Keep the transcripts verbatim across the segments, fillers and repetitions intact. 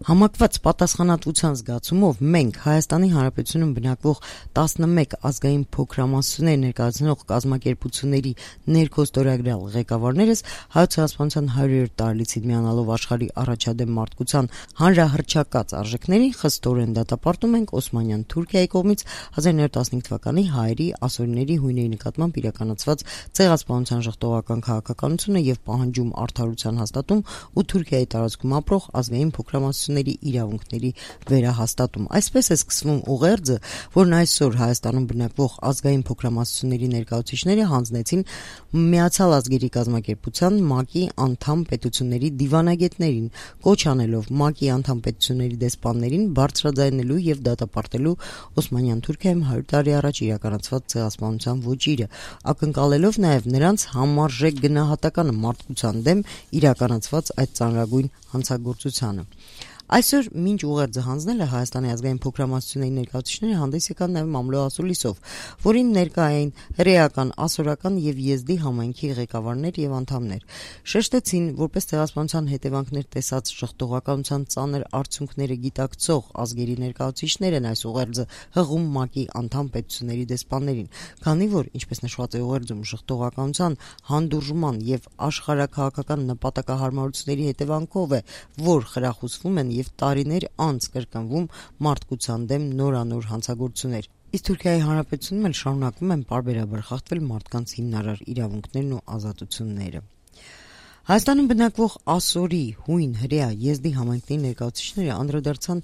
Համակված պատասխանատվության զգացումով մենք Հայաստանի Հանրապետությունում բնակվող տասնմեկ ազգային փոքրամասնություններ ներկայացնող կազմակերպությունների ներքոստորագրյալ ղեկավարներս Հայոց Ցեղասպանության հարյուրերորդ տարելիցին միանալով աշխարհի առաջադեմ մարդկության հանրահռչակած արժեքներին խստորեն դատապարտում ենք Օսմանյան Թուրքիայի կողմից հազար նոյ տասնհինգ թվականի հայերի, ասորիների, հույների նկատմամբ իրականացված ցեղասպանության ժխտողական քաղաքականությունը եւ պահանջում արդարության հաստատում ու Թուրքիայի տարածքում ապրող ազգային փոքրամասնությունների իրավունքների վերահաստատում։ Այսպես է սկսվում ուղերձը, որն այսօր Հայաստանում բնակվող ազգային փոքրամասնությունների ներկայացուցիչները հանձնեցին Միացյալ ազգերի կազմակերպության ՄԱԿ-ի անդամ պետությունների դիվանագետներին, կոչ անելով ՄԱԿ-ի անդամ պետությունների դեսպաններին բարձրաձայնելու եւ դատապարտելու Օսմանյան Թուրքիայում հարյուր տարի առաջ իրականացված ցեղասպանության ոճիրը, ակնկալելով նաեւ նրանց համարժեք գնահատականը մարդկության դեմ իրականացված այդ ծանրագույն հանցագործությանը։ Այսօր մինչ ուղերձը հանձնելը Հայաստանի ազգային փոքրամասնությունների ներկայացուցիչները հանդես եկան նաև Մամլո Ասուլիսով, որին ներկա էին հրեական, ասորական եւ եզդի համայնքի ղեկավարներ եւ անդամներ։ Շեշտեցին, որպես ցեղասպանության հետևանքներ տեսած ժխտողականության ծանր արդյունքները գիտակցող ազգերի ներկայացուցիչներ են այս ուղերձը հղում ՄԱԿ-ի անդամ պետությունների դեսպաններին, քանի որ, ինչպես նշված է ուղերձում, ժխտողականության հանդուրժման եւ աշխարհաքաղաքական նպատակահարմարությունների հետևանքով է, որ խրախուսվում են եւ տարիներ անց կրկնվում մարդկության դեմ նորանոր հանցագործություններ։ Իսկ Թուրքիայի Հանրապետությունում էլ շարունակվում են պարբերաբար խախտվել մարդկանց հիմնարար իրավունքներն ու ազատությունները։ Հայաստանում բնակվող ասորի, հույն, հրեա, եզդի համայնքների ներկայացուցիչները անդրադարձան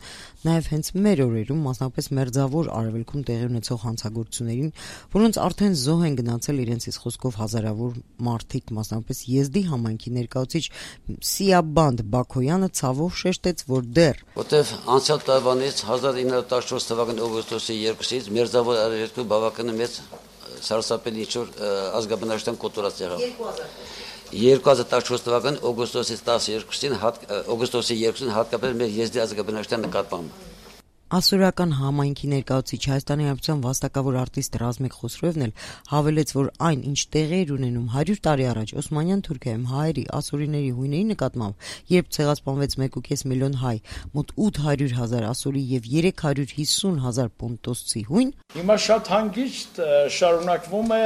նաև հենց մեր օրերում, մասնավորապես մերձավոր արևելքում տեղի ունեցող հանցագործություններին, որոնց արդեն զոհ են գնացել իրենցից խոսքով հազարավոր մարդիկ, մասնավորապես եզդի համայնքի ներկայացուցիչ Սիաբանդ Բաքոյանը ցավով շեշտեց, որ դեռ որտեղ անցյալ տարվանից հազար ինը հարյուր տասնչորս թվականի օգոստոսի երկուսից մերձավոր արևելքում բավական մեծ սարսափելի ինչ-որ ազգաբնակչության կոտորած եղավ։ երկու հազար տասնչորս թվականի օգոստոսի տասներկուսին օգոստոսի երկուսին հատկապես մեր եզդի ազգաբնակչության նկատմամբ Ասորական համայնքի ներկայացուցիչ Հայաստանի Հանրապետության վաստակավոր արտիստ Ռազմիկ Խոսրոևն էլ հավելեց, որ այն, ինչ տեղի էր ունենում հարյուր տարի առաջ Օսմանյան Թուրքիայում հայերի, ասորիների, հույների նկատմամբ, երբ ցեղասպանվեց մեկ ու կես միլիոն հայ, մոտ ութ հարյուր հազար ասորի եւ երեք հարյուր հիսուն հազար պոնտոսցի հույն, հիմա շատ հանգիստ շարունակվում է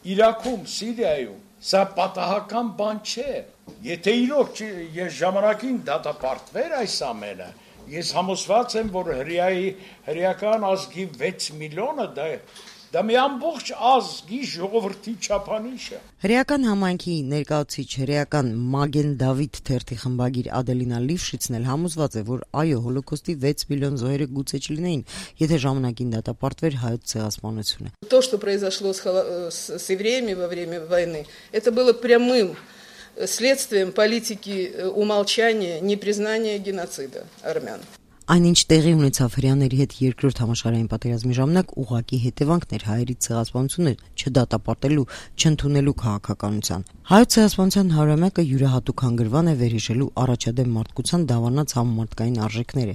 Իրաքում, Սիրիայում։ Սա պատահական բան չէ։ Եթե իրոք ես ժամանակին դատապարտվեր այս ամենը, ես համոզված եմ, որ հրեայի հրեական ազգի վեց միլիոնը դա դա մի ամբողջ ազգի ժողովրդի չափանիշ է։ Հրեական համայնքի ներկայացուցիչ հրեական Մագեն Դավիթ թերթի խմբագիր Ադելինա Լիվշիցն էլ համոզված է, որ այո, հոլոկոստի վեց միլիոն զոհերը գուցե չլինեին, եթե ժամանակին դատապարտվեր հայոց ցեղասպանությունը։ То, что произошло с с евреями во время войны, это было прямым следствием политики умалчания, непризнания геноцида армян. Այնինչ տեղի ունեցավ հրեաների հետ երկրորդ համաշխարհային պատերազմի ժամանակ ուղղակի հետևանքներ հայերի ցեղասպանությունը չդատապարտելու, չընդունելու քաղաքականության։ Հայոց ցեղասպանության հարյուրամյակը յուրահատուկ հանգրվան է վերհիշելու առաջադեմ մարդկության դավանած համամարտկային արժեքները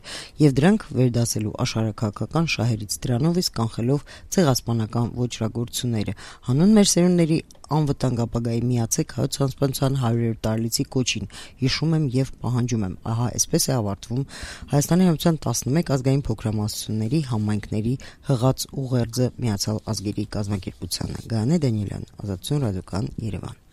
եւ դրանք վերդասելու աշխարհաքաղաքական շահերից դրանով իսկ կանխելով ցեղասպանական ոճրագործությունները։ Հանուն մեր սերունդների անվտանգ ապագայի միացեք Հայոց ցեղասպանության հարյուրերորդ տարելիցի կոչին, հիշում եմ եւ պահանջում եմ։ Ահա այսպես է ավարտվում Հայաստանի Հանրապետության տասնմեկ ազգային փոքրամասնությունների համայնքների հղած ուղերձը Միացյալ ազգերի կազմակերպությանը։ Գայանե Դանիելյան, Ազատություն ռադիոկայան, Երևան։